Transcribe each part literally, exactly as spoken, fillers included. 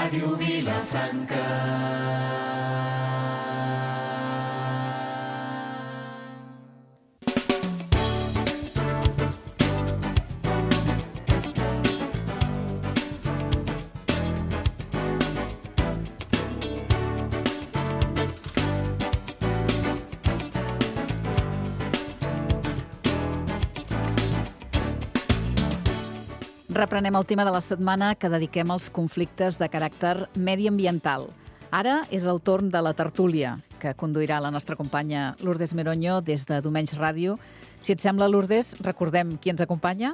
Ràdio Vilafranca. Reprenem el tema de la setmana que dediquem als conflictes de caràcter mediambiental. Ara és el torn de la tertúlia, que conduirà la nostra companya Lourdes Meroño des de Domenys Ràdio. Si et sembla, Lourdes, recordem qui ens acompanya?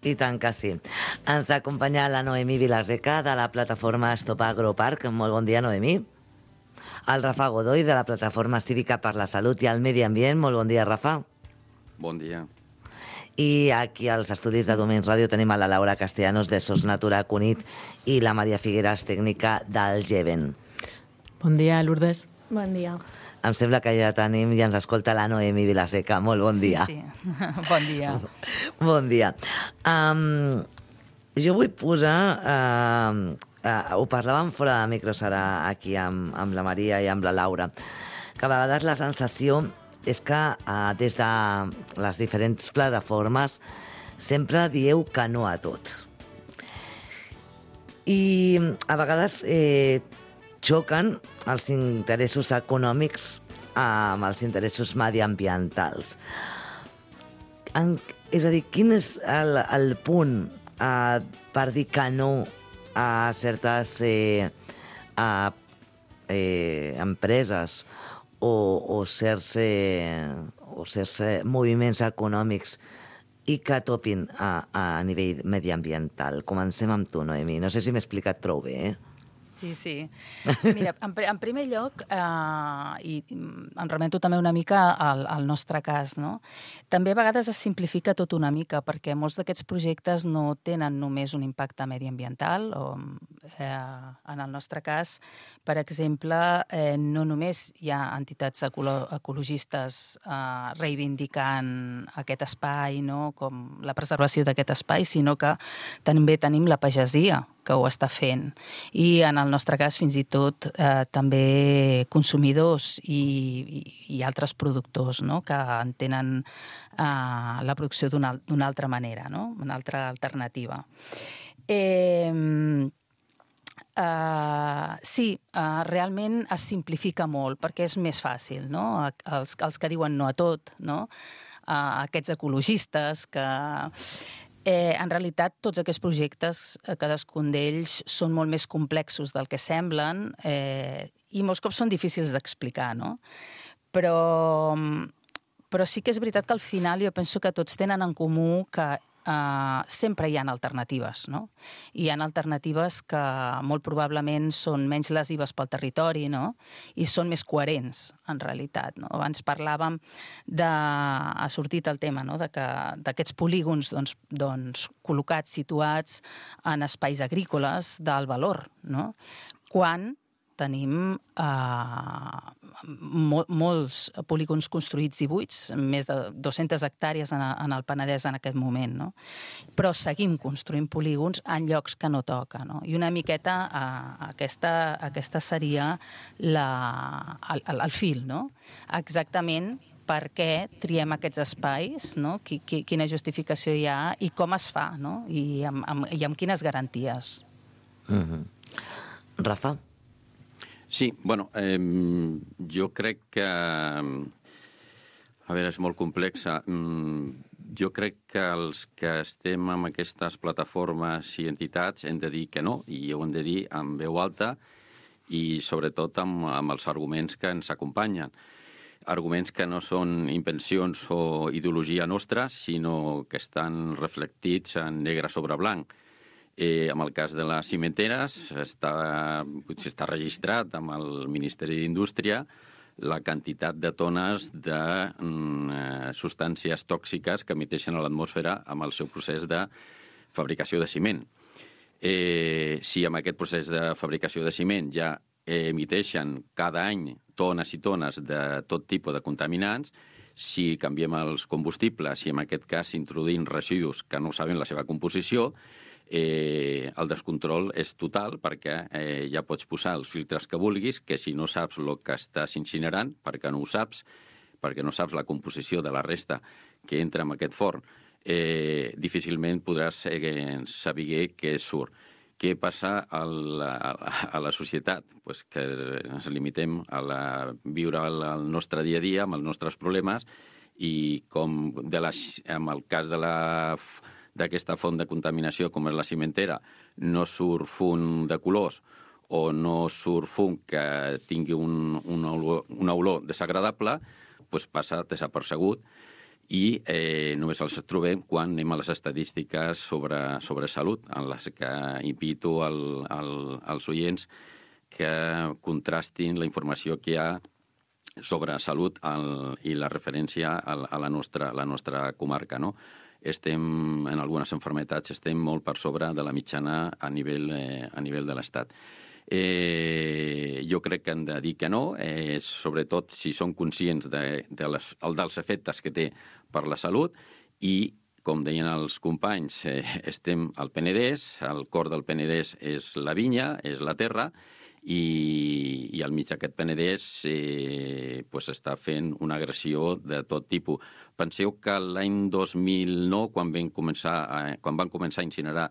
I tant que sí. Ens acompanya la Noemí Vilaseca de la plataforma Stop Agroparc. Molt bon dia, Noemí. El Rafa Godoy de la plataforma Cívica per la Salut i el Medi Ambient. Molt bon dia, Rafa. Bon dia. I aquí als estudis de Domenys Ràdio tenim a la Laura Castellanos de Sos Natura Cunit i la Maria Figueras, tècnica del Geven. Bon dia, Lourdes. Bon dia. Em sembla que ja tenim i ens escolta la Noemí Vilaseca. Molt bon dia. Sí, sí. Bon dia. Bon dia. Um, jo vull posar... Uh, uh, ho parlàvem fora de micros ara aquí amb, amb la Maria i amb la Laura, que a vegades la sensació és que eh, des de les diferents plataformes sempre dieu que no a tot. I a vegades eh, xoquen els interessos econòmics amb els interessos mediambientals. En, és a dir, quin és el, el punt eh, per dir que no a certes eh, a, eh, empreses o, o certs, eh, o certs eh, moviments econòmics i que topin a, a nivell mediambiental? Comencem amb tu, Noemí. No sé si m'he explicat prou bé, eh? Sí, sí. Mira, en, en primer lloc, eh, i em remeto també una mica al, al nostre cas, no? També a vegades es simplifica tot una mica, perquè molts d'aquests projectes no tenen només un impacte mediambiental, o eh, en el nostre cas, per exemple, eh, no només hi ha entitats ecolo ecologistes eh, reivindicant aquest espai, no? Com la preservació d'aquest espai, sinó que també tenim la pagesia, que ho està fent. I en el nostre cas, fins i tot, eh, també consumidors i, i, i altres productors, no? Que entenen eh, la producció d'una d'una altra manera, no? Una altra alternativa. Eh, eh, sí, eh, realment es simplifica molt, perquè és més fàcil, no? Els, els que diuen no a tot, no? Eh, aquests ecologistes que... Eh, en realitat, tots aquests projectes, cadascun d'ells, són molt més complexos del que semblen eh, i molts cops són difícils d'explicar, no? Però, però sí que és veritat que al final jo penso que tots tenen en comú que Uh, sempre hi ha alternatives, no? Hi ha alternatives que molt probablement són menys lesives pel territori, no? I són més coherents, en realitat, no? Abans parlàvem de... ha sortit el tema, no? De que d'aquests polígons doncs, doncs, col·locats, situats en espais agrícoles d'alt valor, no? Quan tenim eh, mol, molts polígons construïts i buits, més de dues-centes hectàrees en, en el Penedès en aquest moment, no? Però seguim construint polígons en llocs que no toca, no? I una miqueta eh, aquesta, aquesta seria la, el, el, el fil, no? Exactament per què triem aquests espais, no? Qui, qui, quina justificació hi ha i com es fa, no? I amb, amb, i amb quines garanties. Mm-hmm. Rafa? Sí, bueno, eh, jo crec que... A veure, és molt complexa. Jo crec que els que estem en aquestes plataformes i entitats hem de dir que no, i ho hem de dir amb veu alta i sobretot amb, amb els arguments que ens acompanyen. Arguments que no són invencions o ideologia nostra, sinó que estan reflectits en negre sobre blanc. Eh, en el cas de les cimenteres, està, està registrat amb el Ministeri d'Indústria la quantitat de tones de mm, substàncies tòxiques que emiteixen a l'atmosfera amb el seu procés de fabricació de ciment. Eh, si amb aquest procés de fabricació de ciment ja emiteixen cada any tones i tones de tot tipus de contaminants, si canviem els combustibles i en aquest cas introduïm residus que no saben la seva composició, eh, el descontrol és total perquè eh, ja pots posar els filtres que vulguis, que si no saps el que estàs incinerant, perquè no ho saps, perquè no saps la composició de la resta que entra en aquest forn, eh, difícilment podràs eh, saber què surt. Què passa a la, a la societat? Pues que ens limitem a la, viure el, el nostre dia a dia amb els nostres problemes i com de la, en el cas de la, d'aquesta font de contaminació com és la cimentera no surt fum de colors o no surt fum que tingui un, una, olor, una olor desagradable, pues passa desapercegut i eh, només els trobem quan anem a les estadístiques sobre, sobre salut, en les que invito al, al, als oients que contrastin la informació que hi ha sobre salut al, i la referència a, a la, nostra, la nostra comarca, no? Estem, en algunes malalties, estem molt per sobre de la mitjana a nivell, eh, a nivell de l'Estat. Eh, jo crec que han de dir que no, eh, sobretot si són conscients de, de les, dels efectes que té per la salut i, com deien els companys, eh, estem al Penedès, el cor del Penedès és la vinya, és la terra, i, i al mig d'aquest Penedès eh, pues està fent una agressió de tot tipus. Penseu que l'any dos mil nou, quan van començar, eh, quan van començar a incinerar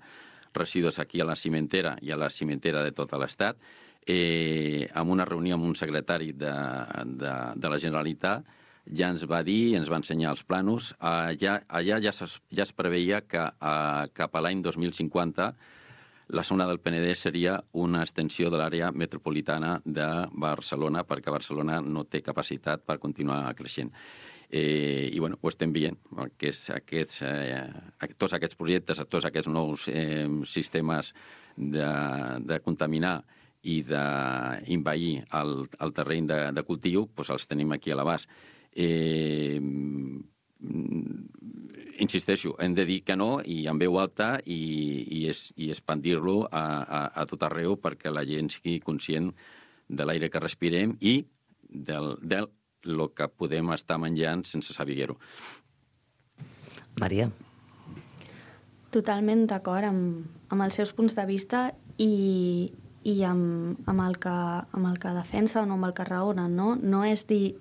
residus aquí a la cimentera i a la cimentera de tot l'Estat, eh, en una reunió amb un secretari de, de, de la Generalitat, ja ens va dir, ens va ensenyar els planos, allà, allà ja, es, ja es preveia que eh, cap a l'any dos mil cinquanta la zona del Penedès seria una extensió de l'àrea metropolitana de Barcelona, perquè Barcelona no té capacitat per continuar creixent. Eh, I, bueno, ho estem veient, aquests, aquests, eh, tots aquests projectes, tots aquests nous eh, sistemes de, de contaminar i d'invair el, el terreny de, de cultiu, doncs els tenim aquí a l'abast. Eh, insisteixo, hem de dir que no i en veu alta i, i, es, i expandir-lo a, a, a tot arreu perquè la gent sigui conscient de l'aire que respirem i del, del lo que podem estar menjant sense saber-ho. Maria. Totalment d'acord amb, amb els seus punts de vista i, i amb, amb, el que, amb el que defensen o amb el que raonen, no? No és dir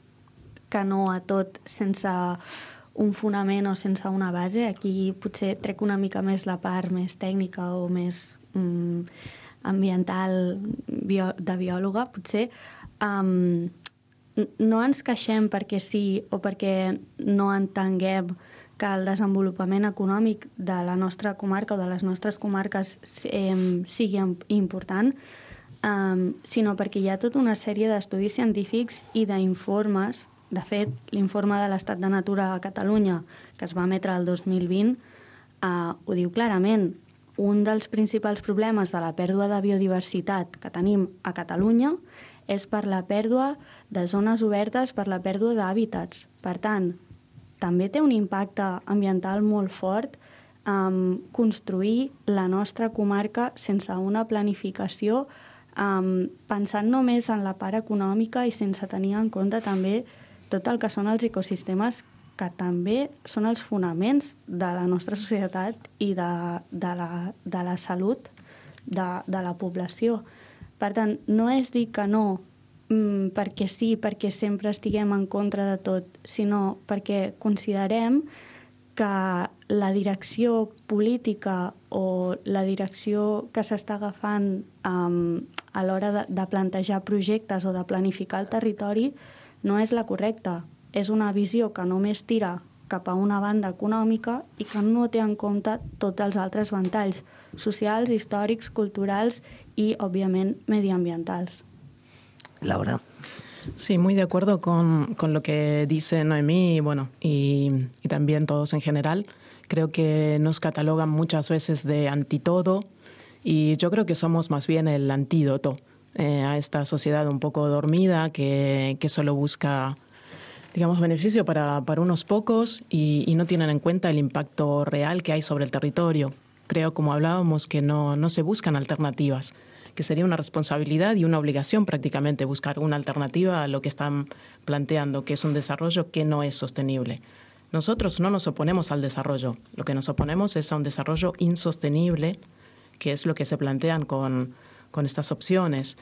que no a tot sense un fonament o sense una base. Aquí potser trec una mica més la part més tècnica o més mm, ambiental bio, de biòloga, potser. Um, no ens queixem perquè sí o perquè no entenguem que el desenvolupament econòmic de la nostra comarca o de les nostres comarques eh, sigui important, um, sinó perquè hi ha tota una sèrie d'estudis científics i d'informes. De fet, l'informe de l'estat de natura a Catalunya, que es va emetre el dos mil vint, eh, ho diu clarament. Un dels principals problemes de la pèrdua de biodiversitat que tenim a Catalunya és per la pèrdua de zones obertes, per la pèrdua d'hàbitats. Per tant, també té un impacte ambiental molt fort um, construir la nostra comarca sense una planificació, um, pensant només en la part econòmica i sense tenir en compte també tot el que són els ecosistemes que també són els fonaments de la nostra societat i de, de, la, de la salut de, de la població. Per tant, no és dir que no mm, perquè sí, perquè sempre estiguem en contra de tot, sinó perquè considerem que la direcció política o la direcció que s'està agafant um, a l'hora de, de plantejar projectes o de planificar el territori no és la correcta. És una visió que només tira cap a una banda econòmica i que no té en compte tots els altres ventalls socials, històrics, culturals y, obviamente, medioambientales. Laura. Sí, muy de acuerdo con, con lo que dice Noemí, bueno, y, y también todos en general. Creo que nos catalogan muchas veces de antitodo y yo creo que somos más bien el antídoto eh, a esta sociedad un poco dormida que, que solo busca, digamos, beneficio para, para unos pocos y, y no tienen en cuenta el impacto real que hay sobre el territorio. Creo, como hablábamos, que no, no se buscan alternativas, que sería una responsabilidad y una obligación prácticamente buscar una alternativa a lo que están planteando, que es un desarrollo que no es sostenible. Nosotros no nos oponemos al desarrollo, lo que nos oponemos es a un desarrollo insostenible que es lo que se plantean con, con estas opciones.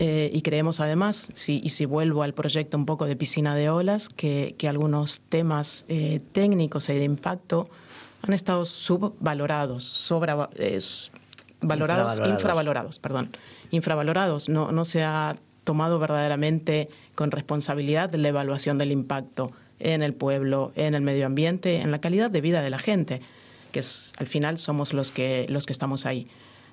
Eh, y creemos además, si, y si vuelvo al proyecto un poco de piscina de olas, que, que algunos temas eh, técnicos y de impacto han estado subvalorados, sobra, eh, valorados, infravalorados. infravalorados, perdón, infravalorados. No, no se ha tomado verdaderamente con responsabilidad la evaluación del impacto en el pueblo, en el medio ambiente, en la calidad de vida de la gente, que es, al final somos los que, los que estamos ahí.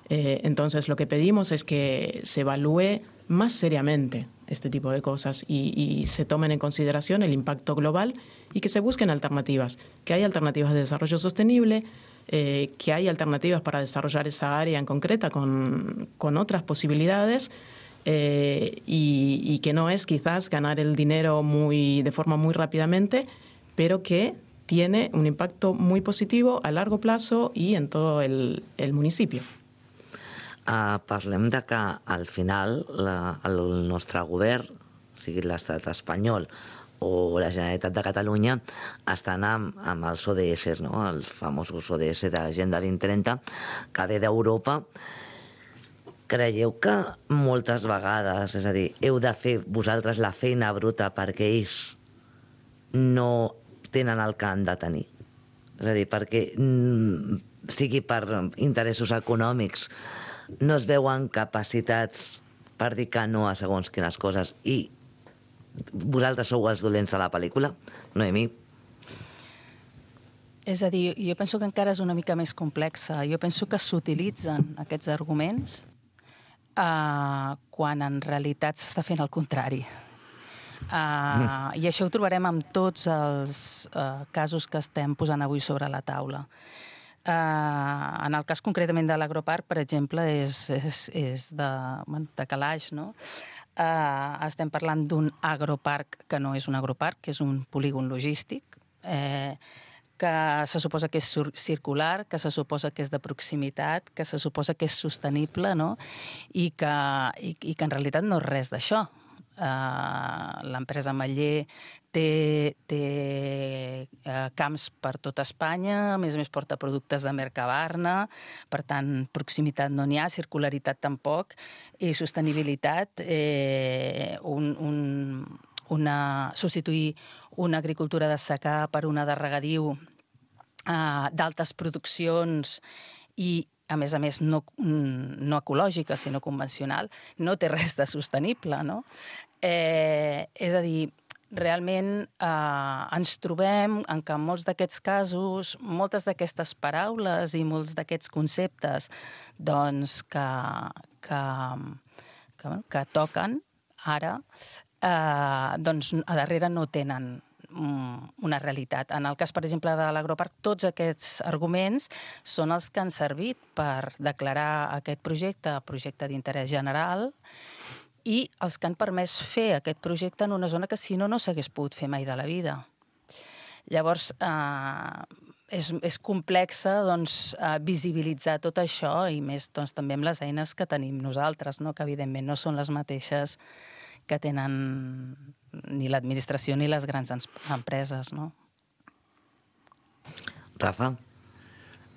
Eh, entonces, lo que pedimos es que se evalúe más seriamente este tipo de cosas y, y se tomen en consideración el impacto global y que se busquen alternativas, que hay alternativas de desarrollo sostenible, eh, que hay alternativas para desarrollar esa área en concreta con, con otras posibilidades eh, y, y que no es quizás ganar el dinero muy, de forma muy rápidamente, pero que tiene un impacto muy positivo a largo plazo y en todo el, el municipio. Uh, parlem de que al final la, el nostre govern, sigui l'estat espanyol o la Generalitat de Catalunya, estan amb, amb els O D S, no? Els famosos O D S d'Agenda vint trenta, que ve d'Europa. Creieu que moltes vegades, és a dir, heu de fer vosaltres la feina bruta perquè ells no tenen el que han de tenir? És a dir, perquè mm, sigui per interessos econòmics, no es veuen capacitats per dir que no a segons quines coses i vosaltres sou els dolents de la pel·lícula? Noemí? És a dir, jo penso que encara és una mica més complexa. Jo penso que s'utilitzen aquests arguments uh, quan en realitat s'està fent el contrari. Uh, I això ho trobarem amb tots els uh, casos que estem posant avui sobre la taula. Uh, en el cas concretament de l'agroparc, per exemple, és, és, és de, de calaix, no? Uh, estem parlant d'un agroparc que no és un agroparc, que és un polígon logístic, eh, que se suposa que és circular, que se suposa que és de proximitat, que se suposa que és sostenible, no? I que, i, i que en realitat no és res d'això. Uh, l'empresa Maller té, té uh, camps per tot Espanya, a més a més porta productes de Mercabarna, per tant, proximitat no n'hi ha, circularitat tampoc, i sostenibilitat, eh, un, un, una, substituir una agricultura de secà per una de regadiu uh, d'altes produccions i a més a més, no, no ecològica, sinó convencional, no té res de sostenible, no? Eh, és a dir, realment eh, ens trobem en que en molts d'aquests casos, moltes d'aquestes paraules i molts d'aquests conceptes doncs, que, que, que, que toquen ara, eh, doncs a darrere no tenen una realitat. En el cas, per exemple, de l'agroparc, tots aquests arguments són els que han servit per declarar aquest projecte projecte d'interès general i els que han permès fer aquest projecte en una zona que, si no, no s'hagués pogut fer mai de la vida. Llavors, eh, és, és complexa doncs, eh, visibilitzar tot això i més doncs, també amb les eines que tenim nosaltres, no? Que evidentment no són les mateixes que tenen ni l'administració ni les grans empreses, no? Rafa?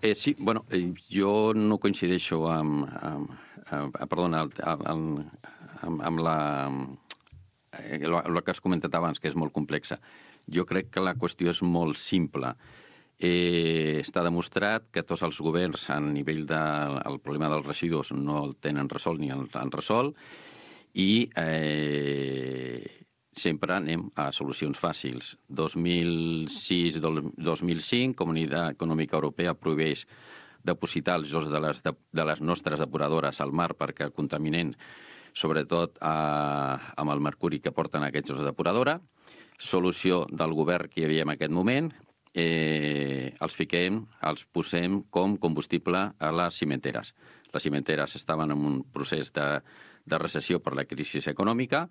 Eh, sí, bueno, eh, jo no coincideixo amb, amb, amb, perdona, amb, amb, amb la, eh, el que has comentat abans, que és molt complexa. Jo crec que la qüestió és molt simple. Eh, està demostrat que tots els governs a nivell del de, problema dels residus no el tenen resolt ni el han resolt i eh, sempre anem a solucions fàcils. dos mil sis dos mil cinc, Comunitat Econòmica Europea prohibeix depositar els jocs de les, de, de les nostres depuradores al mar perquè contaminen, sobretot a, amb el mercuri que porten aquests jocs de depuradora. Solució del govern que hi havia en aquest moment, eh, els fiquem, els posem com combustible a les cimenteres. Les cimenteres estaven en un procés de, de recessió per la crisi econòmica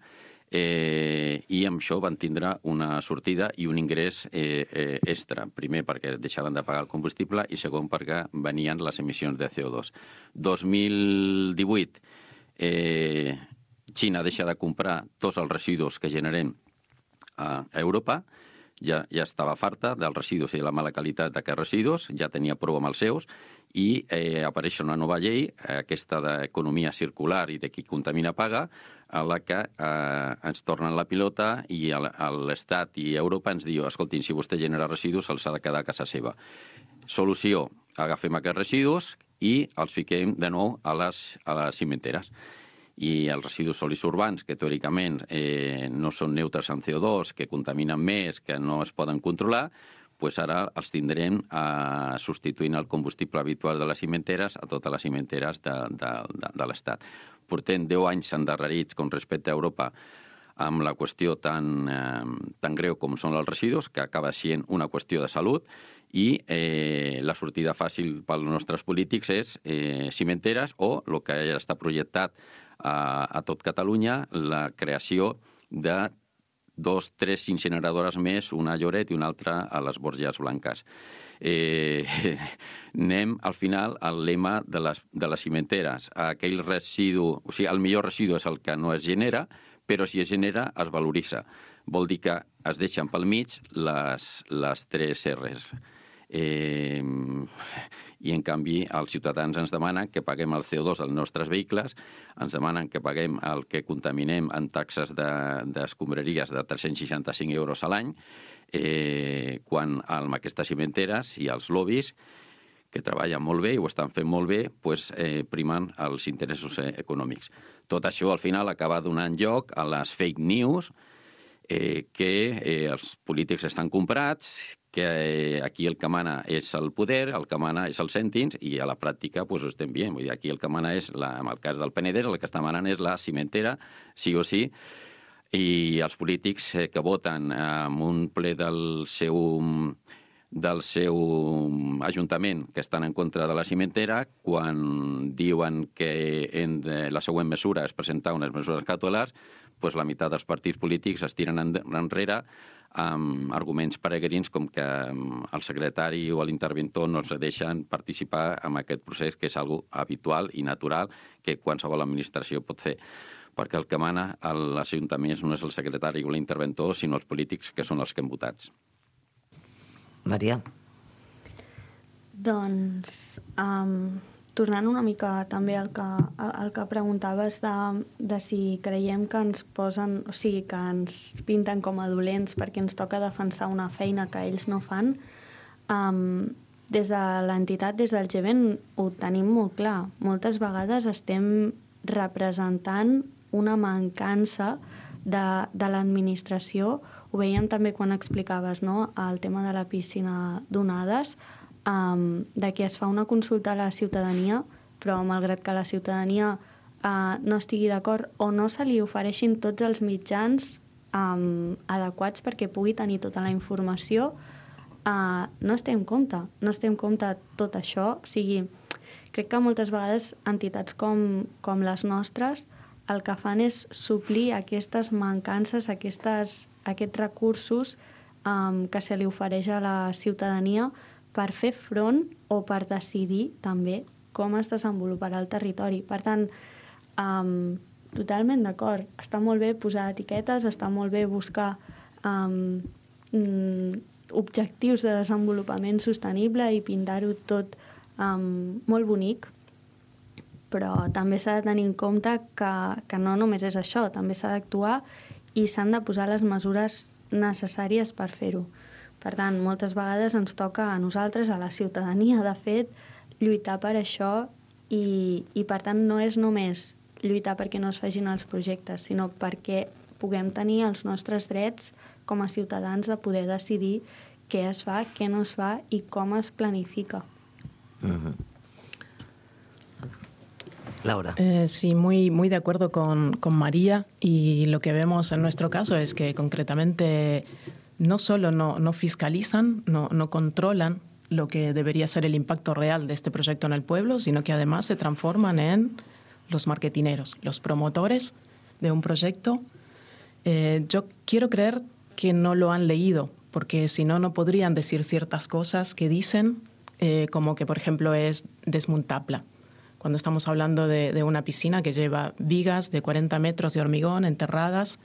eh, i amb això van tindre una sortida i un ingrés eh, eh, extra. Primer perquè deixaven de pagar el combustible i segon perquè venien les emissions de C O dos. dos mil divuit, eh, Xina deixa de comprar tots els residus que generem a Europa. ja, ja estava farta dels residus i de la mala qualitat d'aquests residus, ja tenia prou amb els seus, i eh, apareix una nova llei, aquesta d'economia circular i de qui contamina paga, a la que eh, ens tornen la pilota i l'Estat i Europa ens diu, escoltin, si vostè genera residus, els ha de quedar a casa seva. Solució, agafem aquests residus i els fiquem de nou a les, a les cimenteres. I els residus sòlids urbans, que teòricament eh, no són neutres en C O dos, que contaminen més, que no es poden controlar, pues ara els tindrem eh, substituint el combustible habitual de les cimenteres a totes les cimenteres de, de, de, de l'Estat. Portem deu anys endarrerits com respecte a Europa amb la qüestió tan, eh, tan greu com són els residus, que acaba sent una qüestió de salut, i eh, la sortida fàcil pels nostres polítics és eh, cimenteres o, el que ja està projectat a, a tot Catalunya, la creació de dos, tres incineradores més, una a Lloret i una altra a les Borges Blanques. Eh, anem, al final, al lema de les, de les cimenteres. Aquell residu, o sigui, el millor residu és el que no es genera, però si es genera, es valoritza. Vol dir que es deixen pel mig les, les tres R's. Eh, I, en canvi, els ciutadans ens demanen que paguem el C O dos dels nostres vehicles, ens demanen que paguem el que contaminem en taxes d'escombraries de, de tres-cents seixanta-cinc euros a l'any, eh, quan amb aquestes cimenteres i els lobbies, que treballen molt bé i ho estan fent molt bé, pues, eh, primen els interessos eh, econòmics. Tot això, al final, acaba donant lloc a les fake news, eh, que eh, els polítics estan comprats, que eh, aquí el que mana és el poder, el que mana és els cèntims, i a la pràctica pues, ho estem veient. Vull dir, aquí el que mana és, la, en el cas del Penedès, el que està manant és la cimentera, sí o sí, i els polítics eh, que voten en un ple del seu, del seu ajuntament que estan en contra de la cimentera, quan diuen que en de, la següent mesura és presentar unes mesures cautelars, pues la meitat dels partits polítics es tiren enrere amb arguments peregrins com que el secretari o l'interventor no ens deixen participar en aquest procés, que és algo habitual i natural que qualsevol administració pot fer. Perquè el que mana a l'Ajuntament no és el secretari o l'interventor, sinó els polítics, que són els que hem votats. Maria? Doncs, um, tornant una mica també al que, al que preguntaves de, de si creiem que ens posen, o sigui, que ens pinten com a dolents perquè ens toca defensar una feina que ells no fan, um, des de l'entitat, des del G V E N, ho tenim molt clar. Moltes vegades estem representant una mancança de, de l'administració. Ho veiem també quan explicaves, no?, el tema de la piscina d'onades, um, de que es fa una consulta a la ciutadania, però malgrat que la ciutadania uh, no estigui d'acord o no se li ofereixin tots els mitjans um, adequats perquè pugui tenir tota la informació, uh, no es té en compte. No es té en compte tot això. O sigui, crec que moltes vegades entitats com, com les nostres el que fan és suplir aquestes mancances, aquestes, aquests recursos um, que se li ofereix a la ciutadania per fer front o per decidir també com es desenvoluparà el territori. Per tant, um, totalment d'acord. Està molt bé posar etiquetes, està molt bé buscar um, objectius de desenvolupament sostenible i pintar-ho tot um, molt bonic, però també s'ha de tenir en compte que, que no només és això, també s'ha d'actuar i s'han de posar les mesures necessàries per fer-ho. Per tant, moltes vegades ens toca a nosaltres, a la ciutadania, de fet, lluitar per això i, i per tant, no és només lluitar perquè no es facin els projectes, sinó perquè puguem tenir els nostres drets com a ciutadans de poder decidir què es fa, què no es fa i com es planifica. Uh-huh. Laura. Eh, sí, muy, muy de acuerdo con, con María, y lo que vemos en nuestro caso es que concretamente no solo no, no fiscalizan, no, no controlan lo que debería ser el impacto real de este proyecto en el pueblo, sino que además se transforman en los marketineros, los promotores de un proyecto. Eh, yo quiero creer que no lo han leído, porque si no, no podrían decir ciertas cosas que dicen, eh, como que, por ejemplo, es desmontable. Cuando estamos hablando de, de una piscina que lleva vigas de cuarenta metros de hormigón enterradas,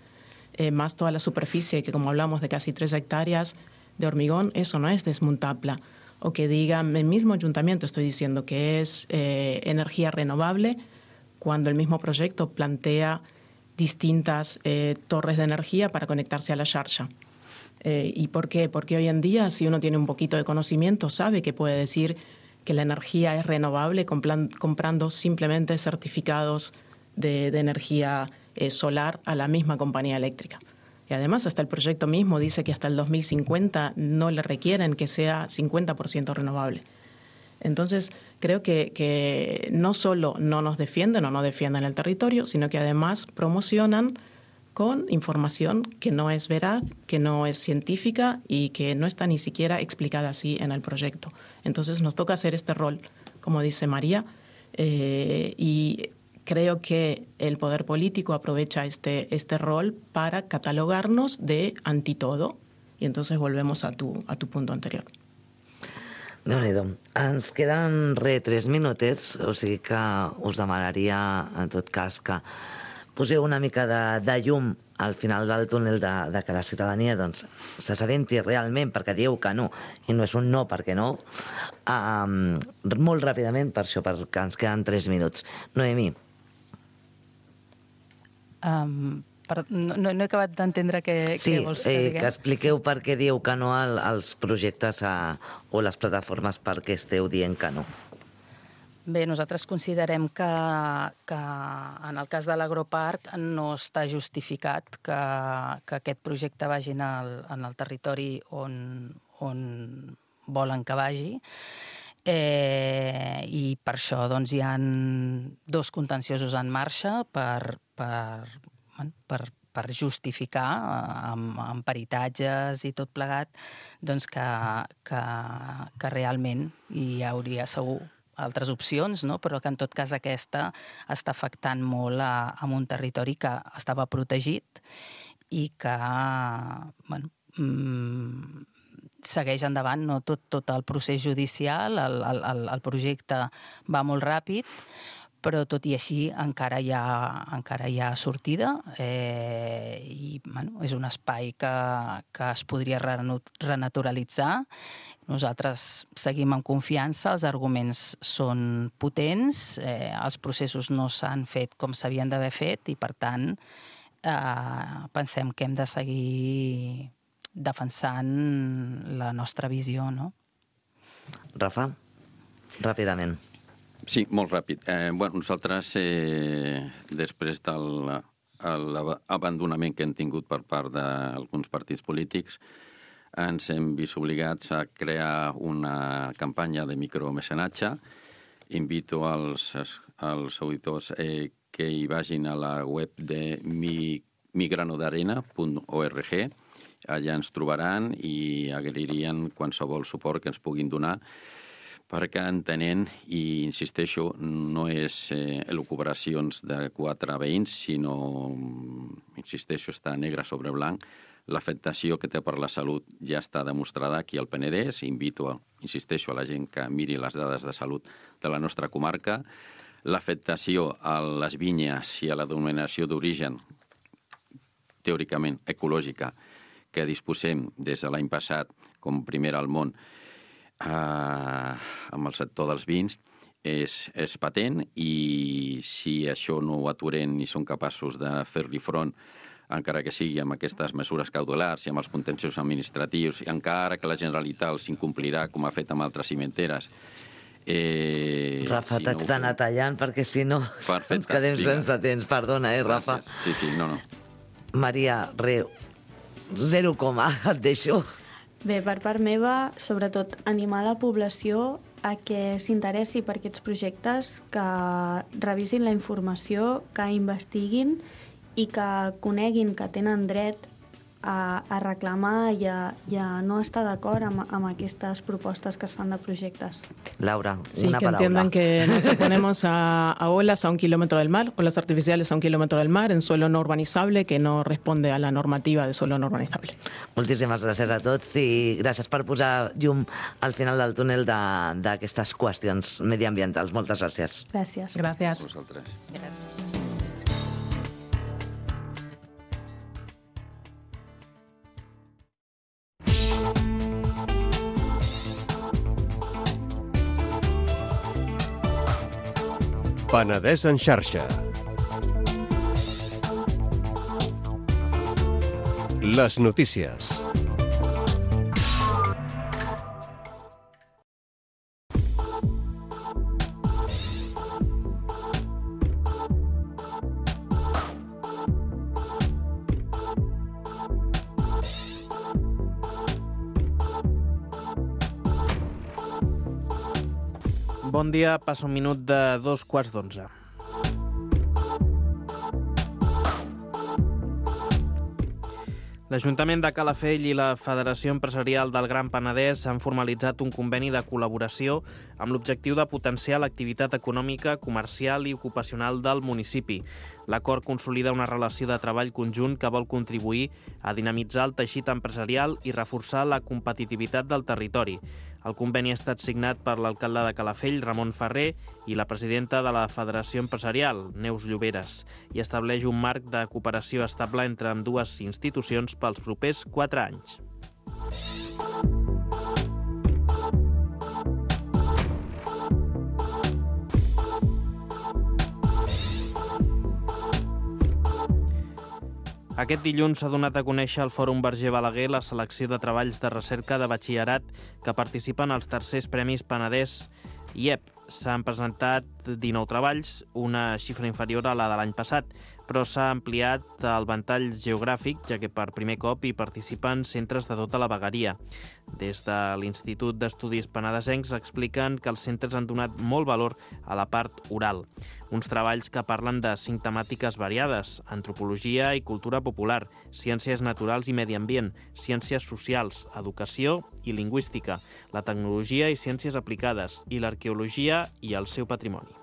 eh, más toda la superficie, que como hablamos de casi tres hectáreas de hormigón, eso no es desmontable. O que diga, el mismo ayuntamiento estoy diciendo que es eh, energía renovable, cuando el mismo proyecto plantea distintas eh, torres de energía para conectarse a la xarxa. Eh, ¿Y por qué? Porque hoy en día, si uno tiene un poquito de conocimiento, sabe que puede decir que la energía es renovable comprando simplemente certificados de, de energía eh, solar a la misma compañía eléctrica. Y además, hasta el proyecto mismo dice que hasta el dos mil cincuenta no le requieren que sea cincuenta por ciento renovable. Entonces, creo que, que no solo no nos defienden o no defienden el territorio, sino que además promocionan con información que no es veraz, que no es científica y que no está ni siquiera explicada así en el proyecto. Entonces, nos toca hacer este rol, como dice María, eh, y creo que el poder político aprovecha este, este rol para catalogarnos de antitodo. Y entonces volvemos a tu, a tu punto anterior. Déu-n'hi-do. Ens queden re tres minutets, o sigui que us demanaria, en tot cas, que poseu una mica de, de llum al final del túnel de, de que la ciutadania doncs, s'assabenti realment, perquè dieu que no, i no és un no perquè no, um, molt ràpidament, per això, perquè ens queden tres minuts. Noemí. Um, per, no, no he acabat d'entendre què, sí, què vols que eh, diguem. que expliqueu per què dieu que no al, als projectes a, o les plataformes per què esteu dient que no. Bé, nosaltres considerem que, que en el cas de l'agroparc no està justificat que, que aquest projecte vagi en el, en el territori on, on volen que vagi. Eh, I per això doncs, hi ha dos contenciosos en marxa per, per, per, per justificar amb, amb peritatges i tot plegat doncs, que, que, que realment hi hauria segur altres opcions, no? Però que en tot cas aquesta està afectant molt a, a un territori que estava protegit i que bueno, mmm, segueix endavant, no? tot, tot el procés judicial, el, el, el projecte va molt ràpid, però tot i així encara hi ha, encara hi ha sortida eh, i bueno, és un espai que, que es podria renaturalitzar. Nosaltres seguim amb confiança, els arguments són potents, eh, els processos no s'han fet com s'havien d'haver fet i, per tant, eh, pensem que hem de seguir defensant la nostra visió, no? Rafa, ràpidament. Sí, molt ràpid. Eh, bueno, nosaltres, eh, després de l'abandonament que hem tingut per part d'alguns partits polítics, ens hem vist obligats a crear una campanya de micromecenatge. Invito als, als auditors eh, que hi vagin a la web de mi, migranodarena punt org. Allà ens trobaran i agrairien qualsevol suport que ens puguin donar, perquè entenent, i insisteixo, no és eh, elucubracions de quatre veïns, sinó, insisteixo, està negre sobre blanc. L'afectació que té per la salut ja està demostrada aquí al Penedès. Invito, insisteixo, a la gent que miri les dades de salut de la nostra comarca. L'afectació a les vinyes i a la denominació d'origen, teòricament ecològica, que disposem des de l'any passat com primera al món eh, amb el sector dels vins, és, és patent, i si això no ho aturem ni som capaços de fer-li front, encara que sigui amb aquestes mesures cautelars i amb els contenciosos administratius, i encara que la Generalitat els incomplirà, com ha fet amb altres cimenteres. Eh, Rafa, si t'haig no d'anar tallant perquè si no Perfecte, ens quedem vinga. sense temps. Perdona, eh, Rafa? Gràcies. Sí, sí, no, no. Maria, re, zero coma, et deixo. Bé, per part meva, sobretot animar la població a que s'interessi per aquests projectes, que revisin la informació, que investiguin i que coneguin que tenen dret a, a reclamar i a, i a no estar d'acord amb, amb aquestes propostes que es fan de projectes. Laura, sí, una que palabra. entiendan que nos oponemos a, a olas a un kilómetro del mar, olas artificiales a un kilómetro del mar, en suelo no urbanizable, que no responde a la normativa de suelo no urbanizable. Moltíssimes gràcies a tots i gràcies per posar llum al final del túnel d'aquestes qüestions mediambientals. Moltes gràcies. Gràcies. Gracias. Vosaltres. Gràcies. Penedès en xarxa. Les notícies. Bon dia, passa un minut de dos quarts d'onze. L'Ajuntament de Calafell i la Federació Empresarial del Gran Penedès han formalitzat un conveni de col·laboració amb l'objectiu de potenciar l'activitat econòmica, comercial i ocupacional del municipi. L'acord consolida una relació de treball conjunt que vol contribuir a dinamitzar el teixit empresarial i reforçar la competitivitat del territori. El conveni ha estat signat per l'alcalde de Calafell, Ramon Ferrer, i la presidenta de la Federació Empresarial, Neus Lloberes, i estableix un marc de cooperació estable entre ambdues institucions pels propers quatre anys. Aquest dilluns s'ha donat a conèixer al Fòrum Verger Balaguer la selecció de treballs de recerca de batxillerat que participen als tercers Premis Penedès I E P. S'han presentat dinou treballs, una xifra inferior a la de l'any passat, però s'ha ampliat el ventall geogràfic, ja que per primer cop hi participen centres de tota la vegueria. Des de l'Institut d'Estudis Penedesencs expliquen que els centres han donat molt valor a la part oral. Uns treballs que parlen de cinc temàtiques variades: antropologia i cultura popular, ciències naturals i medi ambient, ciències socials, educació i lingüística, la tecnologia i ciències aplicades, i l'arqueologia i el seu patrimoni.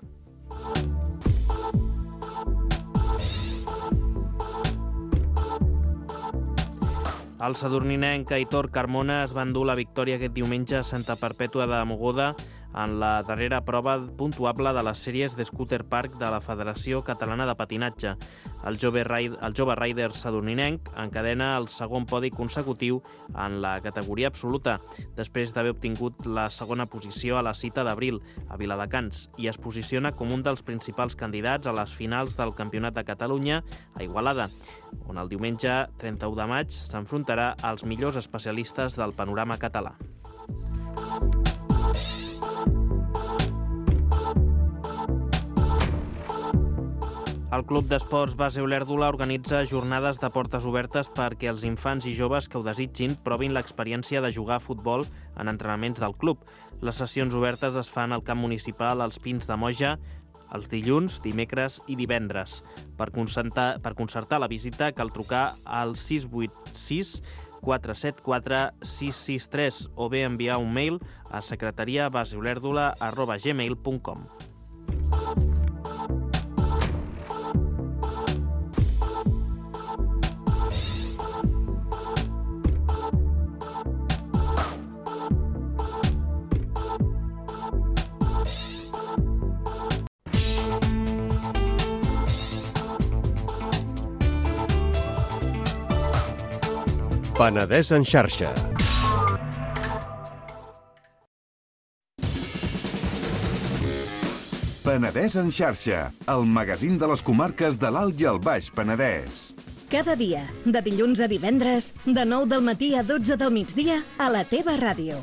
El sadurninenc Aitor Carmona es va endur la victòria aquest diumenge a Santa Perpètua de Mogoda en la darrera prova puntuable de les sèries de Scooter Park de la Federació Catalana de Patinatge. El jove, raid, el jove rider sadurninenc encadena el segon podi consecutiu en la categoria absoluta, després d'haver obtingut la segona posició a la cita d'abril a Viladecans, i es posiciona com un dels principals candidats a les finals del Campionat de Catalunya a Igualada, on el diumenge trenta-u de maig s'enfrontarà als millors especialistes del panorama català. El Club d'Esports Base Olèrdola organitza jornades de portes obertes perquè els infants i joves que ho desitgin provin l'experiència de jugar a futbol en entrenaments del club. Les sessions obertes es fan al camp municipal als Pins de Moja els dilluns, dimecres i divendres. Per concertar, per concertar la visita cal trucar al sis vuit sis quatre set quatre sis sis tres o bé enviar un mail a secretaria baseolèrdola arroba gmail punt com. Penedès en xarxa. Penedès en xarxa, el magazín de les comarques de l'Alt i el Baix Penedès. Cada dia, de dilluns a divendres, de nou del matí a dotze del migdia, a la teva ràdio.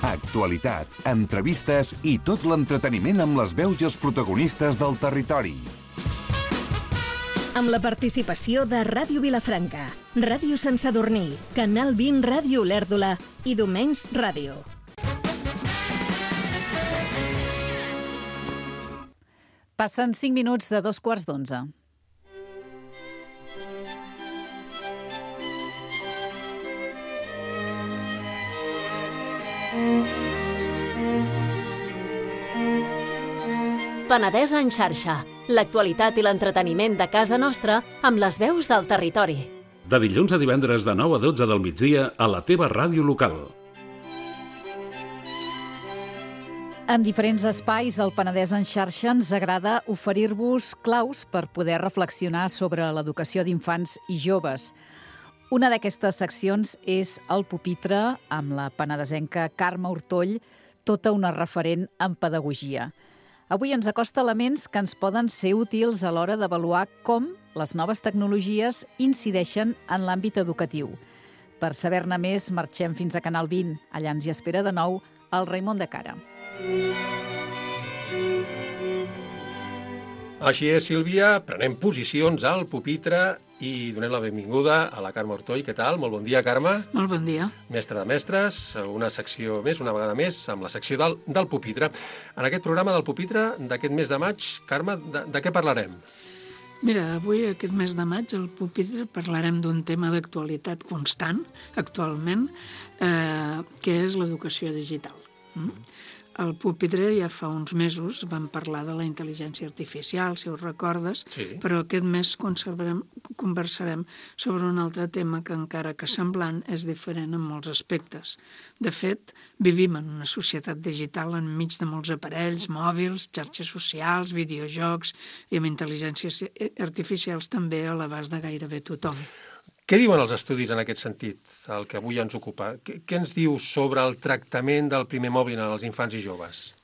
Actualitat, entrevistes i tot l'entreteniment amb les veus i els protagonistes del territori. Amb la participació de Ràdio Vilafranca, Ràdio Sant Sadurní, Canal vint Ràdio Olèrdola i Domenys Ràdio. Passen cinc minuts de dos quarts d'onze. Penedès en xarxa, l'actualitat i l'entreteniment de casa nostra amb les veus del territori. De dilluns a divendres de nou a dotze del migdia a la teva ràdio local. En diferents espais, al Penedès en xarxa ens agrada oferir-vos claus per poder reflexionar sobre l'educació d'infants i joves. Una d'aquestes seccions és el Pupitre, amb la penedesenca Carme Hortoll, tota una referent en pedagogia. Avui ens acosta elements que ens poden ser útils a l'hora d'avaluar com les noves tecnologies incideixen en l'àmbit educatiu. Per saber-ne més, marxem fins a Canal vint. Allà ens hi espera de nou el Raimon de Cara. Així és, Sílvia, prenem posicions al pupitre i donem la benvinguda a la Carme Ortoll. Què tal? Molt bon dia, Carme. Molt bon dia. Mestre de mestres, una secció més, una vegada més, amb la secció del, del pupitre. En aquest programa del pupitre d'aquest mes de maig, Carme, de, de què parlarem? Mira, avui, aquest mes de maig, al pupitre parlarem d'un tema d'actualitat constant, actualment, eh, que és l'educació digital. Mm? Al pupitre ja fa uns mesos vam parlar de la intel·ligència artificial, si us recordes, sí. Però aquest mes conversarem sobre un altre tema que, encara que semblant, és diferent en molts aspectes. De fet, vivim en una societat digital enmig de molts aparells, mòbils, xarxes socials, videojocs i amb intel·ligències artificials també a l'abast de gairebé tothom. Què diuen els estudis en aquest sentit, el que avui ens ocupa? Què, què ens diu sobre el tractament del primer mòbil als infants i joves?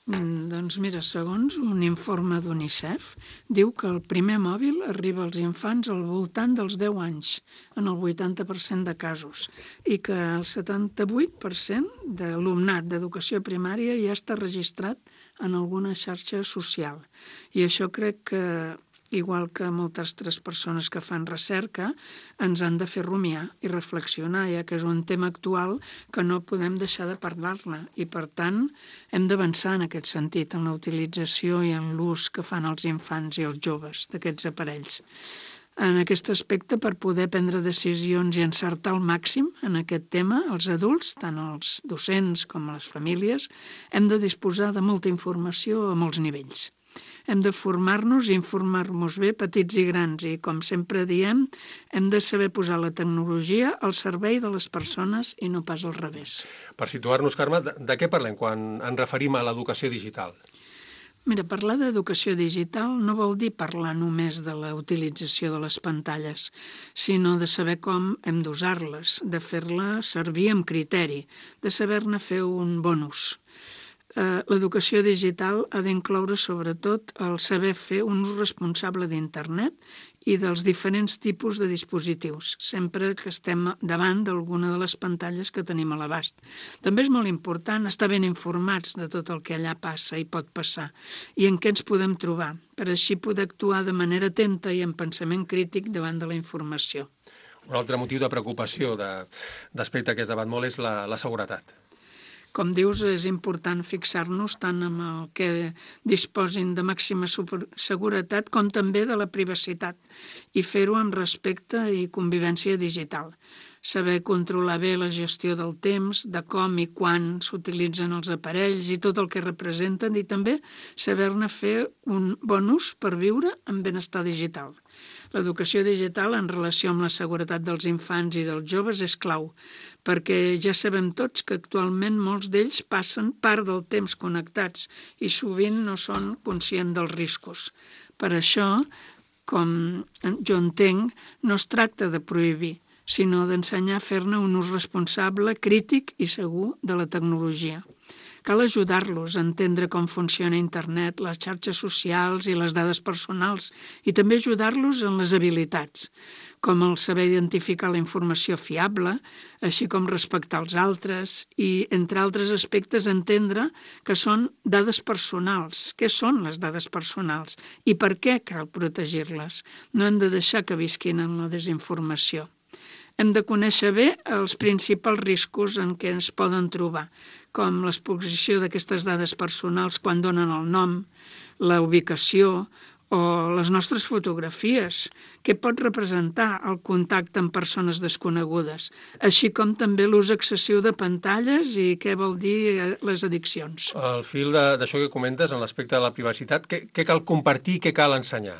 Mm, doncs mira, segons un informe d'UNICEF, diu que el primer mòbil arriba als infants al voltant dels deu anys, en el vuitanta per cent de casos, i que el setanta-vuit per cent de l'alumnat d'educació primària ja està registrat en alguna xarxa social. I això crec que, igual que moltes altres persones que fan recerca, ens han de fer rumiar i reflexionar, ja que és un tema actual que no podem deixar de parlar-ne. I, per tant, hem d'avançar en aquest sentit, en la utilització i en l'ús que fan els infants i els joves d'aquests aparells. En aquest aspecte, per poder prendre decisions i encertar al màxim en aquest tema, els adults, tant els docents com les famílies, hem de disposar de molta informació a molts nivells. Hem de formar-nos i informar-nos bé, petits i grans, i, com sempre diem, hem de saber posar la tecnologia al servei de les persones i no pas al revés. Per situar-nos, Carme, de, de què parlem quan ens referim a l'educació digital? Mira, parlar d'educació digital no vol dir parlar només de la utilització de les pantalles, sinó de saber com hem d'usar-les, de fer-la servir amb criteri, de saber-ne fer un bon ús. L'educació digital ha d'incloure sobretot el saber fer un ús responsable d'internet i dels diferents tipus de dispositius, sempre que estem davant d'alguna de les pantalles que tenim a l'abast. També és molt important estar ben informats de tot el que allà passa i pot passar i en què ens podem trobar, per així poder actuar de manera atenta i amb pensament crític davant de la informació. Un altre motiu de preocupació d'aspecte que es debat molt és la, la seguretat. Com dius, és important fixar-nos tant en el que disposin de màxima seguretat com també de la privacitat i fer-ho amb respecte i convivència digital. Saber controlar bé la gestió del temps, de com i quan s'utilitzen els aparells i tot el que representen, i també saber-ne fer un bon ús per viure en benestar digital. L'educació digital en relació amb la seguretat dels infants i dels joves és clau, perquè ja sabem tots que actualment molts d'ells passen part del temps connectats i sovint no són conscients dels riscos. Per això, com jo entenc, no es tracta de prohibir, sinó d'ensenyar a fer-ne un ús responsable, crític i segur de la tecnologia. Cal ajudar-los a entendre com funciona internet, les xarxes socials i les dades personals, i també ajudar-los en les habilitats, com el saber identificar la informació fiable, així com respectar els altres i, entre altres aspectes, entendre que són dades personals. Què són les dades personals i per què cal protegir-les? No hem de deixar que visquin en la desinformació. Hem de conèixer bé els principals riscos en què ens poden trobar, com l'exposició d'aquestes dades personals quan donen el nom, la ubicació o les nostres fotografies, què pot representar el contacte amb persones desconegudes, així com també l'ús excessiu de pantalles i què vol dir les addiccions. Al fil d'això que comentes, en l'aspecte de la privacitat, què, què cal compartir i què cal ensenyar?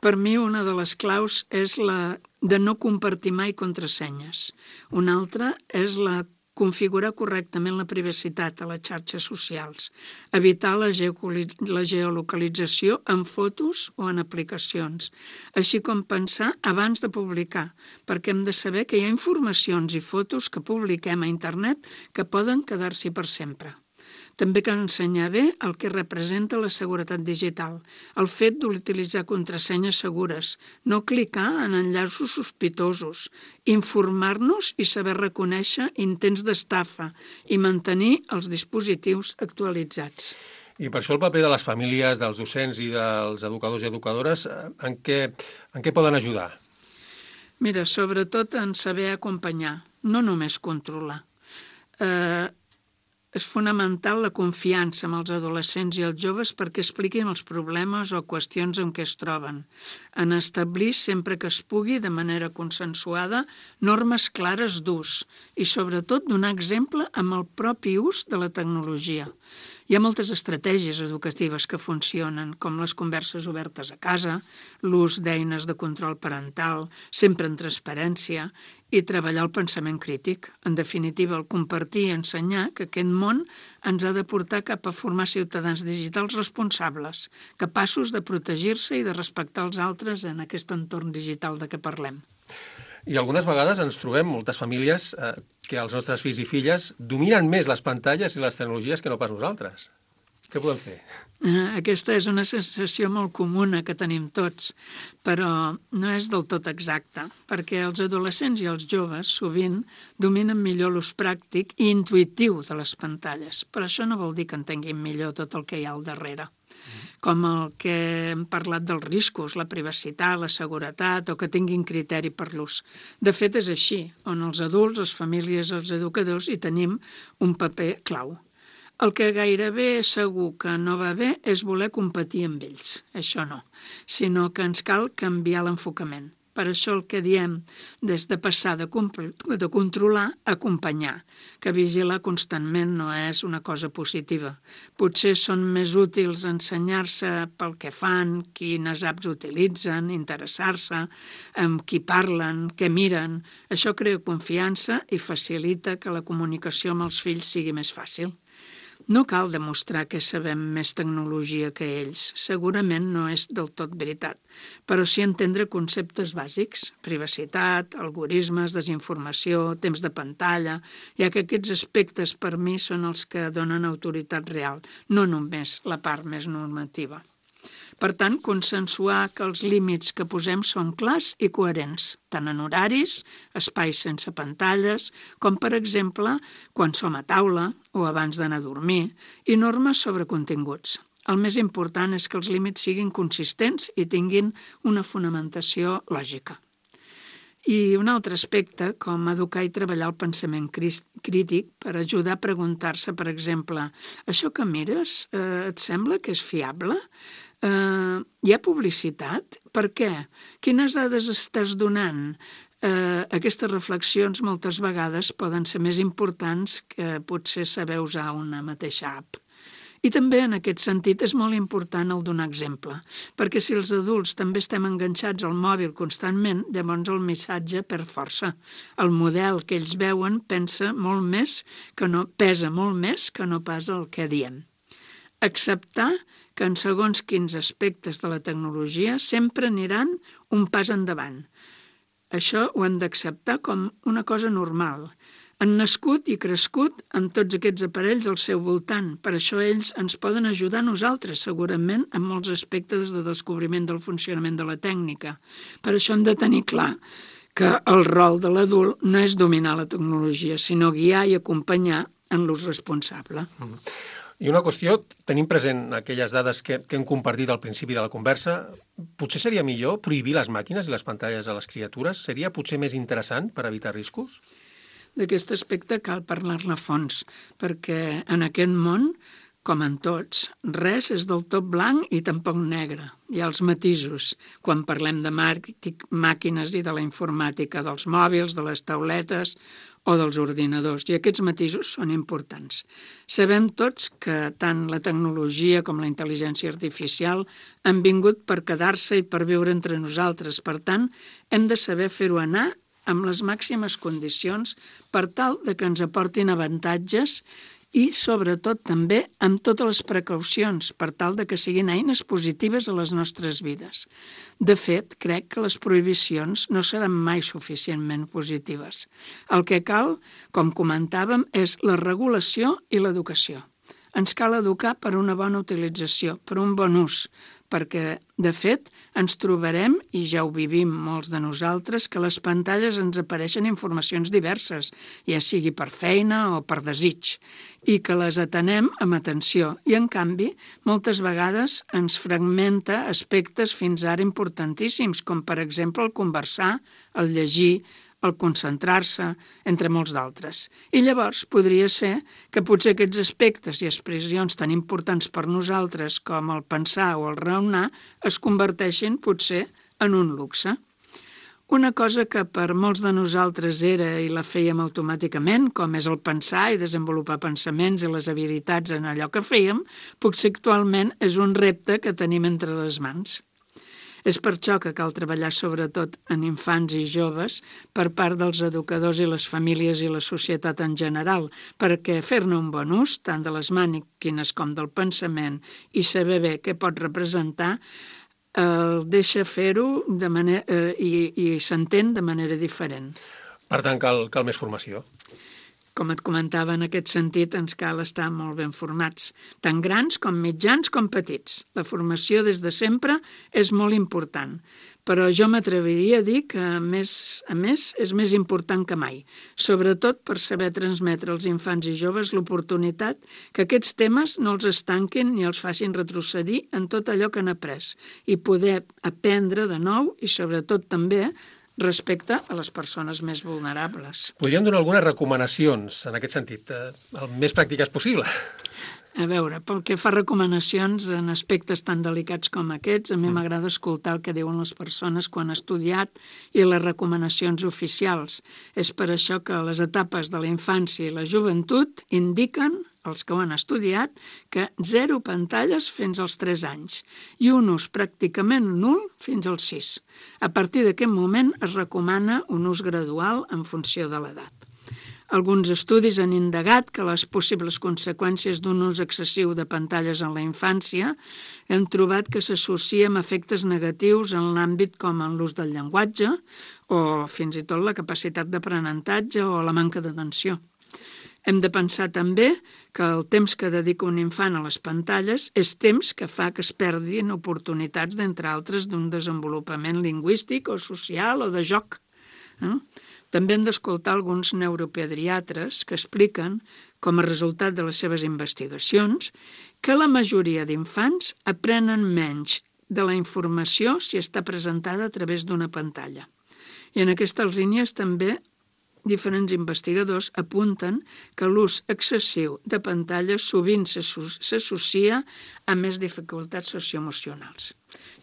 Per mi, una de les claus és la de no compartir mai contrasenyes. Una altra és la configurar correctament la privacitat a les xarxes socials, evitar la geolocalització en fotos o en aplicacions, així com pensar abans de publicar, perquè hem de saber que hi ha informacions i fotos que publiquem a internet que poden quedar-s'hi per sempre. També cal ensenyar bé el que representa la seguretat digital, el fet d'utilitzar contrasenyes segures, no clicar en enllaços sospitosos, informar-nos i saber reconèixer intents d'estafa i mantenir els dispositius actualitzats. I per això el paper de les famílies, dels docents i dels educadors i educadores, en què, en què poden ajudar? Mira, sobretot en saber acompanyar, no només controlar. Eh, és fonamental la confiança amb els adolescents i els joves perquè expliquin els problemes o qüestions en què es troben, en establir sempre que es pugui, de manera consensuada, normes clares d'ús i sobretot donar exemple amb el propi ús de la tecnologia. Hi ha moltes estratègies educatives que funcionen, com les converses obertes a casa, l'ús d'eines de control parental, sempre en transparència, i treballar el pensament crític. En definitiva, el compartir i ensenyar que aquest món ens ha de portar cap a formar ciutadans digitals responsables, capaços de protegir-se i de respectar els altres en aquest entorn digital de què parlem. I algunes vegades ens trobem moltes famílies eh, que els nostres fills i filles dominen més les pantalles i les tecnologies que no pas nosaltres. Què podem fer? Aquesta és una sensació molt comuna que tenim tots, però no és del tot exacta, perquè els adolescents i els joves sovint dominen millor l'ús pràctic i intuïtiu de les pantalles, però això no vol dir que entenguin millor tot el que hi ha al darrere, com el que hem parlat dels riscos, la privacitat, la seguretat, o que tinguin criteri per l'ús. De fet, és així, on els adults, les famílies, els educadors hi tenim un paper clau. El que gairebé segur que no va bé és voler competir amb ells, això no, sinó que ens cal canviar l'enfocament. Per això el que diem des de passar de, de controlar a acompanyar, que vigilar constantment no és una cosa positiva. Potser són més útils ensenyar-se pel que fan, quines apps utilitzen, interessar-se, amb qui parlen, què miren. Això crea confiança i facilita que la comunicació amb els fills sigui més fàcil. No cal demostrar que sabem més tecnologia que ells, segurament no és del tot veritat, però sí entendre conceptes bàsics, privacitat, algoritmes, desinformació, temps de pantalla, ja que aquests aspectes per mi són els que donen autoritat real, no només la part més normativa. Per tant, consensuar que els límits que posem són clars i coherents, tant en horaris, espais sense pantalles, com, per exemple, quan som a taula o abans d'anar a dormir, i normes sobre continguts. El més important és que els límits siguin consistents i tinguin una fonamentació lògica. I un altre aspecte, com educar i treballar el pensament crític per ajudar a preguntar-se, per exemple, això que mires, eh, et sembla que és fiable? Uh, hi ha publicitat? Per què? Quines dades estàs donant? Uh, aquestes reflexions moltes vegades poden ser més importants que potser saber usar una mateixa app. I també en aquest sentit és molt important el donar exemple, perquè si els adults també estem enganxats al mòbil constantment, llavors el missatge perd força. El model que ells veuen pensa molt més que no, pesa molt més que no pas el que diem. Acceptar que en segons quins aspectes de la tecnologia sempre aniran un pas endavant. Això ho han d'acceptar com una cosa normal. Han nascut i crescut amb tots aquests aparells al seu voltant. Per això ells ens poden ajudar a nosaltres, segurament, en molts aspectes de descobriment del funcionament de la tècnica. Per això hem de tenir clar que el rol de l'adult no és dominar la tecnologia, sinó guiar i acompanyar en l'ús responsable. Mm. I una qüestió, tenim present aquelles dades que, que hem compartit al principi de la conversa, potser seria millor prohibir les màquines i les pantalles a les criatures? Seria potser més interessant per evitar riscos? D'aquest aspecte cal parlar-ne a fons, perquè en aquest món, com en tots, res és del tot blanc i tampoc negre. Hi ha els matisos, quan parlem de màquines i de la informàtica, dels mòbils, de les tauletes o dels ordinadors, i aquests matisos són importants. Sabem tots que tant la tecnologia com la intel·ligència artificial han vingut per quedar-se i per viure entre nosaltres. Per tant, hem de saber fer-ho anar amb les màximes condicions per tal de que ens aportin avantatges i, sobretot, també amb totes les precaucions per tal de que siguin eines positives a les nostres vides. De fet, crec que les prohibicions no seran mai suficientment positives. El que cal, com comentàvem, és la regulació i l'educació. ens cal educar per una bona utilització, per un bon ús, perquè, de fet, ens trobarem, i ja ho vivim molts de nosaltres, que a les pantalles ens apareixen informacions diverses, ja sigui per feina o per desig, i que les atenem amb atenció. I, en canvi, moltes vegades ens fragmenta aspectes fins ara importantíssims, com, per exemple, el conversar, el llegir, el concentrar-se, entre molts d'altres. I llavors podria ser que potser aquests aspectes i expressions tan importants per nosaltres com el pensar o el raonar es converteixin potser en un luxe. Una cosa que per molts de nosaltres era i la fèiem automàticament, com és el pensar i desenvolupar pensaments i les habilitats en allò que fèiem, potser actualment és un repte que tenim entre les mans. És per això que cal treballar sobretot en infants i joves per part dels educadors i les famílies i la societat en general, perquè fer-ne un bon ús, tant de les màquines com del pensament, i saber bé què pot representar, el deixa fer-ho de manera, eh, i, i s'entén de manera diferent. Per tant, cal, cal més formació. Com et comentava, en aquest sentit ens cal estar molt ben formats, tant grans com mitjans com petits. La formació des de sempre és molt important, però jo m'atreviria a dir que, a més, a més, és més important que mai, sobretot per saber transmetre als infants i joves l'oportunitat que aquests temes no els estanquin ni els facin retrocedir en tot allò que han après i poder aprendre de nou i, sobretot, també respecte a les persones més vulnerables. Podríem donar algunes recomanacions en aquest sentit, el més pràctiques possible. A veure, pel que fa a recomanacions en aspectes tan delicats com aquests, a mi m'agrada escoltar el que diuen les persones quan han estudiat i les recomanacions oficials. És per això que les etapes de la infància i la joventut indiquen, els que ho han estudiat, que zero pantalles fins als tres anys i un ús pràcticament nul fins als sis. A partir d'aquest moment es recomana un ús gradual en funció de l'edat. Alguns estudis han indagat que les possibles conseqüències d'un ús excessiu de pantalles en la infància han trobat que s'associa amb efectes negatius en l'àmbit com en l'ús del llenguatge o fins i tot la capacitat d'aprenentatge o la manca d'atenció. Hem de pensar també que el temps que dedica un infant a les pantalles és temps que fa que es perdin oportunitats, d'entre altres, d'un desenvolupament lingüístic o social o de joc. Eh? També hem d'escoltar alguns neuropediatres que expliquen, com a resultat de les seves investigacions, que la majoria d'infants aprenen menys de la informació si està presentada a través d'una pantalla. I en aquestes línies també diferents investigadors apunten que l'ús excessiu de pantalles sovint s'associa a més dificultats socioemocionals.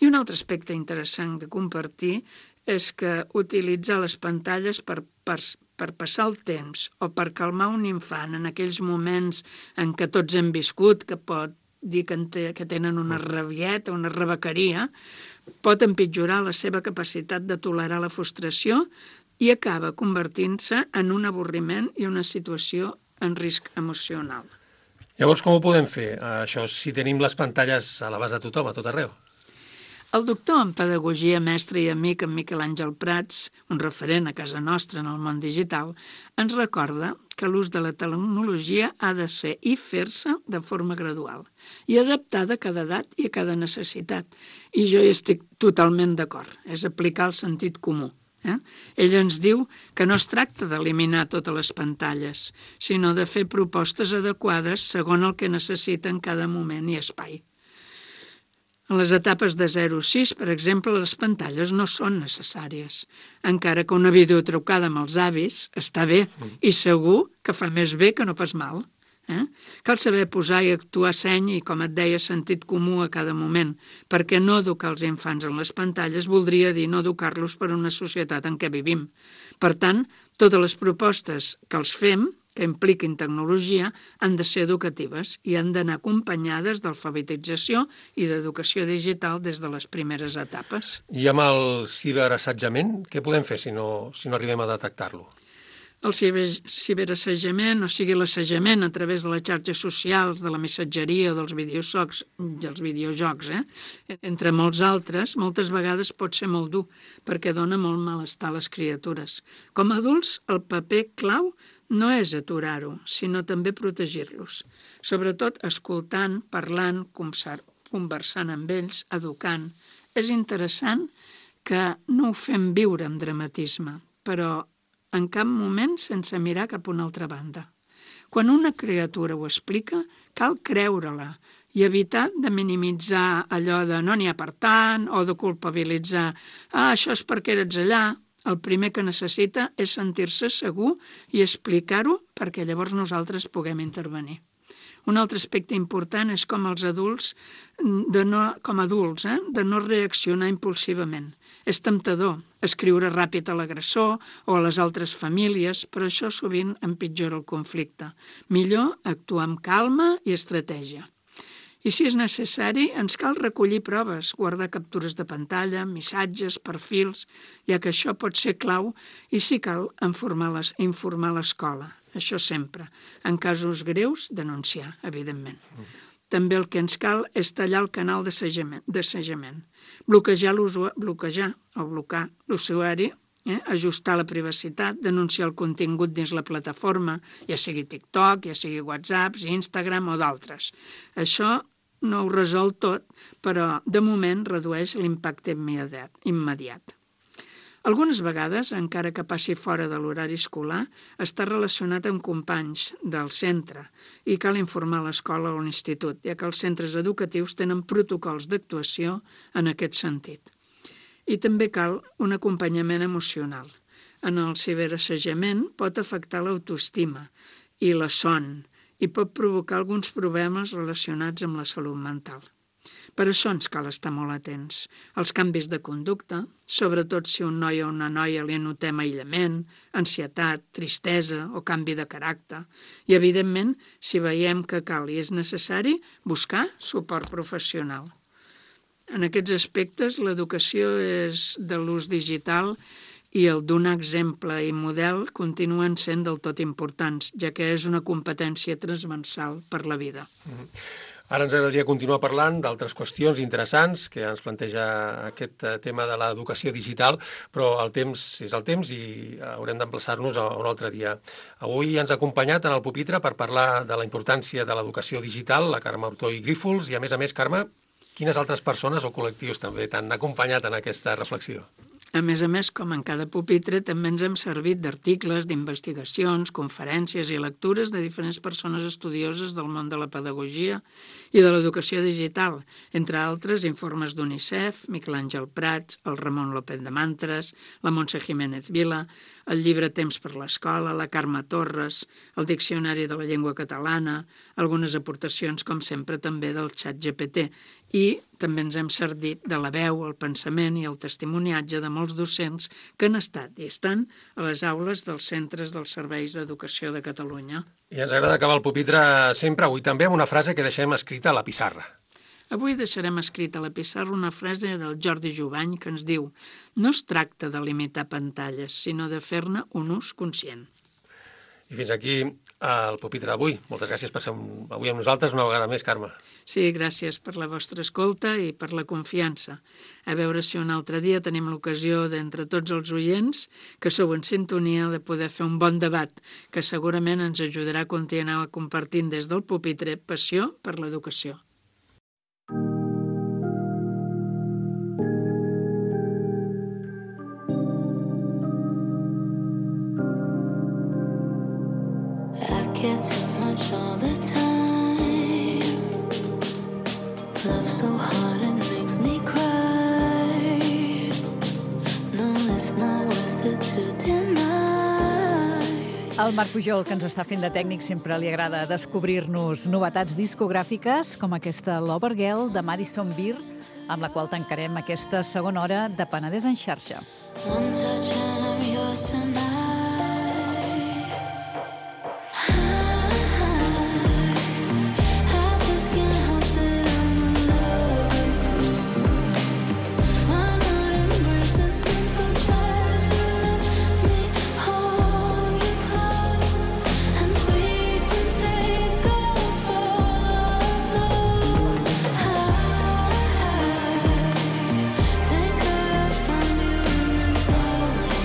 I un altre aspecte interessant de compartir és que utilitzar les pantalles per, per, per passar el temps o per calmar un infant en aquells moments en què tots hem viscut, que pot dir que, te, que tenen una rabieta, una rebequeria, pot empitjorar la seva capacitat de tolerar la frustració i acaba convertint-se en un avorriment i una situació en risc emocional. Llavors, com ho podem fer, això, si tenim les pantalles a l'abast de tothom, a tot arreu? El doctor en pedagogia, mestre i amic, en Miquel Àngel Prats, un referent a casa nostra en el món digital, ens recorda que l'ús de la tecnologia ha de ser i fer-se de forma gradual i adaptada a cada edat i a cada necessitat. I jo hi estic totalment d'acord, és aplicar el sentit comú. Eh? Ell ens diu que no es tracta d'eliminar totes les pantalles, sinó de fer propostes adequades segons el que necessita en cada moment i espai. En les etapes de zero a sis, per exemple, les pantalles no són necessàries, encara que una videotrucada amb els avis està bé i segur que fa més bé que no pas mal. Eh? Cal saber posar i actuar seny i, com et deia, sentit comú a cada moment, perquè no educar els infants en les pantalles voldria dir no educar-los per una societat en què vivim. Per tant, totes les propostes que els fem, que impliquin tecnologia, han de ser educatives i han d'anar acompanyades d'alfabetització i d'educació digital des de les primeres etapes. I amb el ciberassetjament, què podem fer si no, si no arribem a detectar-lo? El ciberassajament, o sigui l'assajament a través de les xarxes socials, de la missatgeria, dels videojocs, dels videojocs, eh? entre molts altres, moltes vegades pot ser molt dur, perquè dona molt malestar a les criatures. Com a adults, el paper clau no és aturar-ho, sinó també protegir-los, sobretot escoltant, parlant, conversant amb ells, educant. És interessant que no ho fem viure amb dramatisme, però en cap moment sense mirar cap a una altra banda. Quan una criatura ho explica, cal creure-la i evitar de minimitzar allò de no n'hi ha per tant o de culpabilitzar ah, això és perquè eres allà. El primer que necessita és sentir-se segur i explicar-ho perquè llavors nosaltres puguem intervenir. Un altre aspecte important és com els adults, de no, com adults, eh, de no reaccionar impulsivament. És temptador escriure ràpid a l'agressor o a les altres famílies, però això sovint empitjora el conflicte. Millor actuar amb calma i estratègia. I si és necessari, ens cal recollir proves, guardar captures de pantalla, missatges, perfils, ja que això pot ser clau i si cal informar l'escola. Això sempre. En casos greus, denunciar, evidentment. També el que ens cal és tallar el canal d'assajament, bloquejar, bloquejar o blocar l'usuari, eh? ajustar la privacitat, denunciar el contingut dins la plataforma, ja sigui TikTok, ja sigui WhatsApp, Instagram o d'altres. Això no ho resol tot, però de moment redueix l'impacte immediat. Algunes vegades, encara que passi fora de l'horari escolar, està relacionat amb companys del centre i cal informar l'escola o l'institut, ja que els centres educatius tenen protocols d'actuació en aquest sentit. I també cal un acompanyament emocional. En el ciberassajament pot afectar l'autoestima i la son i pot provocar alguns problemes relacionats amb la salut mental. Per això ens cal estar molt atents als canvis de conducta, sobretot si un noi o una noia li notem aïllament, ansietat, tristesa o canvi de caràcter. I, evidentment, si veiem que cal i és necessari, buscar suport professional. En aquests aspectes, l'educació és de l'ús digital i el donar exemple i model continuen sent del tot importants, ja que és una competència transversal per la vida. Mm-hmm. Ara ens agradaria continuar parlant d'altres qüestions interessants que ens planteja aquest tema de l'educació digital, però el temps és el temps i haurem d'emplaçar-nos a un altre dia. Avui ens ha acompanyat en el pupitre per parlar de la importància de l'educació digital, la Carme Ortoll Grífols, i a més a més, Carme, quines altres persones o col·lectius també t'han acompanyat en aquesta reflexió? A més a més, com en cada pupitre, també ens hem servit d'articles, d'investigacions, conferències i lectures de diferents persones estudioses del món de la pedagogia i de l'educació digital, entre altres informes d'UNICEF, Miquel Àngel Prats, el Ramon López de Mantres, la Montse Jiménez Vila, el llibre Temps per l'Escola, la Carme Torres, el Diccionari de la Llengua Catalana, algunes aportacions, com sempre, també del xat G P T, i també ens hem servit de la veu, el pensament i el testimoniatge de molts docents que han estat i estan a les aules dels centres dels serveis d'educació de Catalunya. I ens agrada acabar el pupitre sempre, avui també, amb una frase que deixem escrita a la pissarra. Avui deixarem escrita a la pissarra una frase del Jordi Jubany que ens diu: no es tracta de limitar pantalles, sinó de fer-ne un ús conscient. I fins aquí el pupitre d'avui. Moltes gràcies per ser avui amb nosaltres una vegada més, Carme. Sí, gràcies per la vostra escolta i per la confiança. A veure si un altre dia tenim l'ocasió d'entre tots els oients que sou en sintonia de poder fer un bon debat que segurament ens ajudarà a continuar compartint des del pupitre passió per l'educació. Get too much all the time. Love so hard it makes me cry. No, it's not worth it to deny. Al Marc Pujol, que ens està fent de tècnic, sempre li agrada descobrir-nos novetats discogràfiques com aquesta Lover Girl de Madison Beer, amb la qual tancarem aquesta segona hora de Penedès en xarxa. One touch and I'm yours tonight. Think I found you in this moment.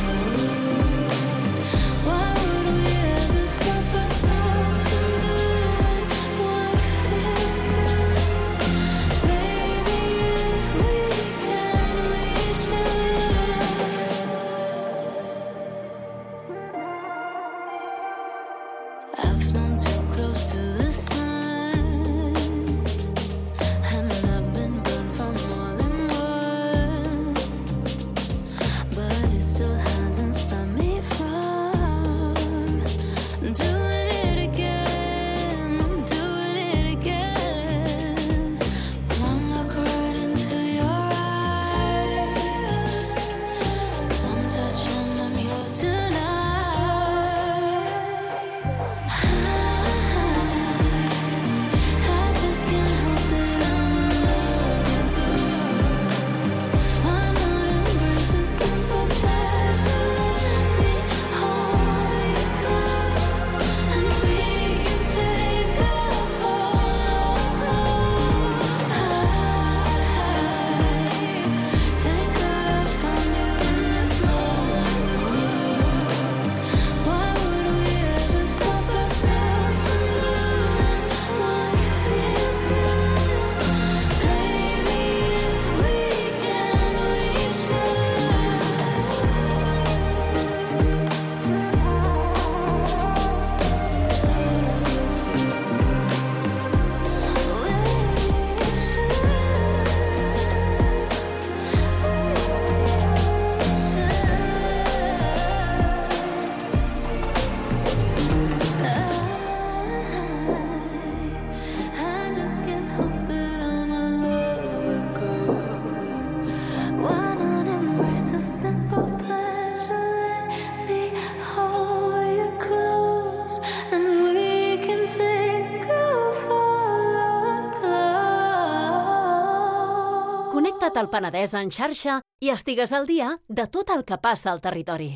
simple pleasure. Let me hold you close, and we can take a fall close. Connecta't al Penedès en xarxa i estigues al dia de tot el que passa al territori.